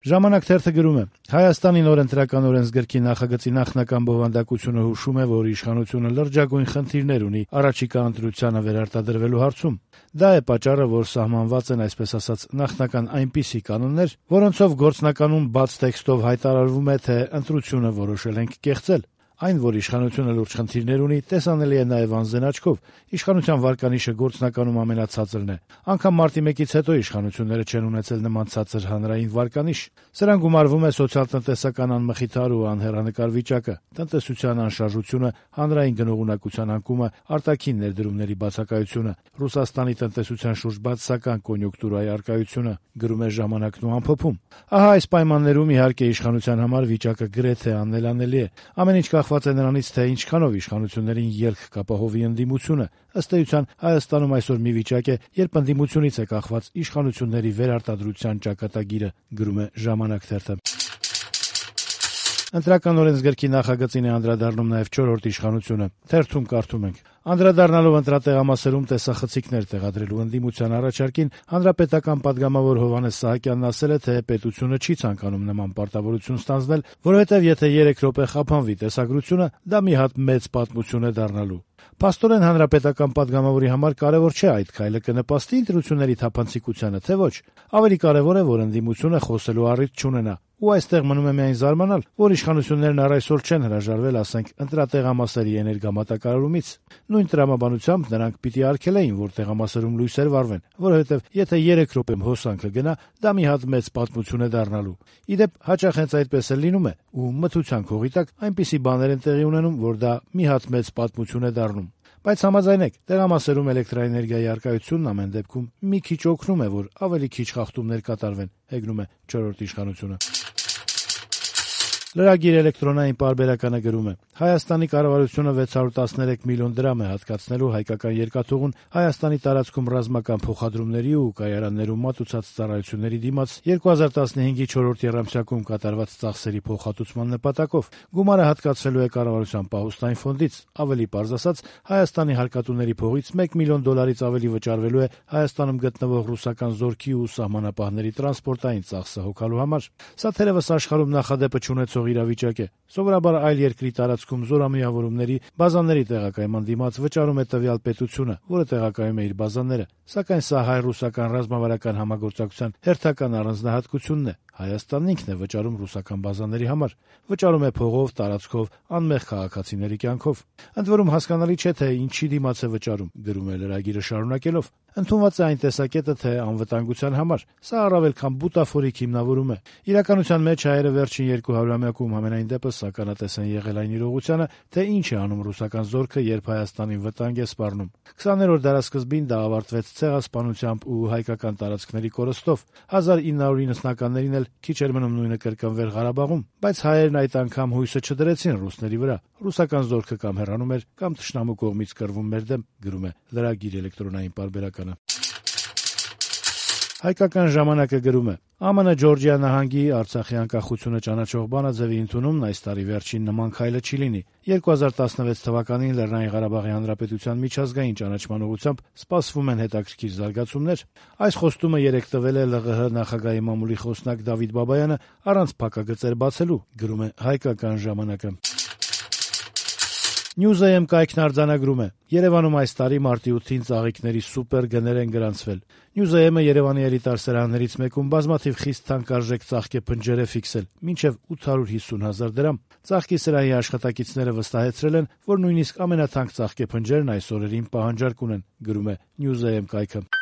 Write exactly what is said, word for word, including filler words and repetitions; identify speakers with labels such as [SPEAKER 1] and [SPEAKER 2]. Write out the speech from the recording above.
[SPEAKER 1] Ժամանակ թերթը գրում է. Հայաստանի նոր ընտրական օրենսգրքի նախագծի նախնական բովանդակությունը հուշում է, որ իշխանությունը լրջագույն խնդիրներ ունի առաջիկա ընտրությանը վերարտադրվելու հարցում։ Դա է պատճառը, որ սահմանված են, այսպես ասած, նախնական այնպիսի կանոններ, որոնցով գործնականում բաց տեքստով հայտարարվում է, թե ընտրությունը որոշել ենք կեղծել։ Այն, որ իշխանությունը լուրջ խնդիրներ ունի, տեսանելի է նաև անզեն աչքով։ Իշխանության վարկանիշը գործնականում ամենացածրն է։ Անգամ մարտի մեկից հետո իշխանությունները չեն ունեցել նման ցածր հանրային վարկանիշ։ Սրան գումարվում է սոցիալ-տնտեսական անմխիթար ու անհեռանկար վիճակը, տնտեսության անշարժությունը, հանրային գնողունակության անկումը, արտաքին ներդրումների բացակայությունը, Ռուսաստանի տնտեսության շուրջ բացասական կոնյունկտուրայի առկայությունը, գրում է Ժամանակն ու ամփոփում։ Ահա այս պայմաններում իհարկե իշխանության համար վիճակը գրեթե աննելանելի է։ Ամեն ինչ կախված է նրանից, թե ինչքանով իշխանություններին ելք կապահովի ընդդիմությունը։ Ըստ էության, Հայաստանում այսօր մի վիճակ է, երբ ընդդիմությունից է կախված իշխանությունների վերարտադրության ճակատագիրը, գրում է Ժամանակ թերթը։ Ընտրական օրենսգրքի նախագծին է անդրադառնում նաև չորրորդ իշխանությունը։ Թերթում կարդում ենք. Անդրադառնալով ընտրատեղամասերում տեսախցիկներ տեղադրելու ընդդիմության առաջարկին, հանրապետական պատգամավոր Հովհաննես Սահակյանն ասել է, թե պետությունը չի ցանկանում նման պարտավորություն ստանձնել, որովհետև եթե երեք րոպե խափանվի տեսագրությունը, դա մի հատ մեծ պատմություն է դառնալու։ Փաստորեն հանրապետական պատգամավորի համար կարևոր չէ այդ քայլը կնպաստի ընտրությունների թափանցիկությանը, թե ոչ։ Ավելի կարևոր է, որ ընդդիմությունը խոսելու առիթ չունենա։ Ու այստեղ մնում է միայն զարմանալ, որ իշխանություններն առ այսօր չեն հրաժարվել, ասենք, ընտրատեղամասերի էներգամատակարարումից։ Նույն տրամաբանությամբ նրանք պիտի արգելեին, որ տեղամասերում լույսեր վառվեն, որովհետև եթե երեք րոպեմ հոսանքը գնա, դա մի հատ մեծ պատմություն է դառնալու։ Ի դեպ, հաճախ հենց այդպես էլ լինում է, ու մթության քողի տակ այնպիսի բաներ են տեղի ունենում, որ դա մի հատ մեծ պատմություն է դառնում։ Բայց համաձայնեք, տեղամասերում էլեկտրաէներգիայի առկայությունն ամեն դեպքում մի քիչ օգնում է, որ ավելի քիչ խախտումներ կատարվեն, հեգնում է չորրորդ իշխանությունը։ Լրագիր էլեկտրոնային պարբերականը գրում է. Հայաստանի կառավարությունը վեց հարյուր տասներեք միլիոն դրամ է հատկացնելու հայկական երկաթուղուն Հայաստանի տարածքում ռազմական փոխադրումների ու կայարաններում մատուցած ծառայությունների դիմաց երկու հազար տասնհինգի չորրորդ եռամսյակում կատարված ծախսերի փոխհատուցման նպատակով։ Գումարը հատկացվելու է կառավարության պահուստային ֆոնդից, ավելի պարզ ասած, Հայաստանի հարկատուների փողից մեկ միլիոն դոլարից ավելի վճարվելու է Հայաստանում գտնվող ռուսական զորքի ու սահմանապահների տրանսպորտային ծախսը հոգալու համար։ Սա թերևս աշխարհում նախադեպը չունեցող իրավիճակ է։ Սովորաբար այլ երկրի տարածքում զորամիավորումների, բազաների տեղակայման դիմաց վճարում է տվյալ պետությունը, որը տեղակայում է իր բազաները, սակայն սա հայ-ռուսական ռազմավարական համագործակցության հերթական առանձնահատկությունն է։ Հայաստանն ինքն է վճարում ռուսական բազաների համար, վճարում է փողով, տարածքով, անմեղ քաղաքացիների կյանքով։ Ընդ որում հասկանալի չէ, թե ինչի դիմաց է վճարում, գրում է լրագիրը շարունակելով։ Ընդունված է այն տեսակետը, թե անվտանգության համար։ Սա առավել քան բուտաֆորիկ հիմնավորում է։ Իրականության մեջ հայերը վերջին երկու հարյուրամյակում համենայն դեպս ականատես են եղել այն իրողությանը, թե ինչ է անում ռուսական զորքը, երբ Հայաստանին վտանգ է սպառնում։ քսաներորդ դարասկզբին դա ավարտվեց ցեղասպանությամբ ու հայկական տարածքների կորստով։ հազար ինը հարյուր իննսունականներին էլ քիչ էր մնում նույնը կրկնվեր Ղարաբաղում, բայց հայերն այդ անգամ հույսը չդրեցին ռուսների վրա։ Ռուսական զորքը կամ հեռանում էր, կամ թշնամու կողմից կռվում մեր դեմ, գրում է լրագիր էլեկտրոնային պարբերականը։ Հայկական ժամանակը գրում է. ԱՄՆ Ջորջիա նահանգի Արցախի անկախությունը ճանաչող բանաձևի ընդունումն այս տարի վերջին նման քայլը չի լինի։ երկու հազար տասնվեց թվականին Լեռնային Ղարաբաղի Հանրապետության միջազգային ճանաչման ուղղությամբ սպասվում են հետաքրքիր զարգացումներ։ Այս խոստումը երեկ տվել է ԼՂՀ նախագահի մամուլի խոսնակ Դավիթ Բաբայանը առանց փակագծեր բացելու, գրում է Հայկական ժամանակը։ Newsam կայքն արձանագրում է. Երևանում այս տարի մարտի ութին ծաղիկների սուպեր գներ են գրանցվել։ Newsam-ը Երևանի էլիտար սրահներից մեկում բազմաթիվ խիստ թանկարժեք ծաղկե փնջեր է ֆիքսել, մինչև ութ հարյուր հիսուն հազար դրամ։ Ծաղկի սրահի աշխատակիցները վստահեցրել են, որ նույնիսկ ամենաթանկ ծաղկե փնջերն այս օրերին պահանջարկ ունեն, գրում է Newsam կայքը։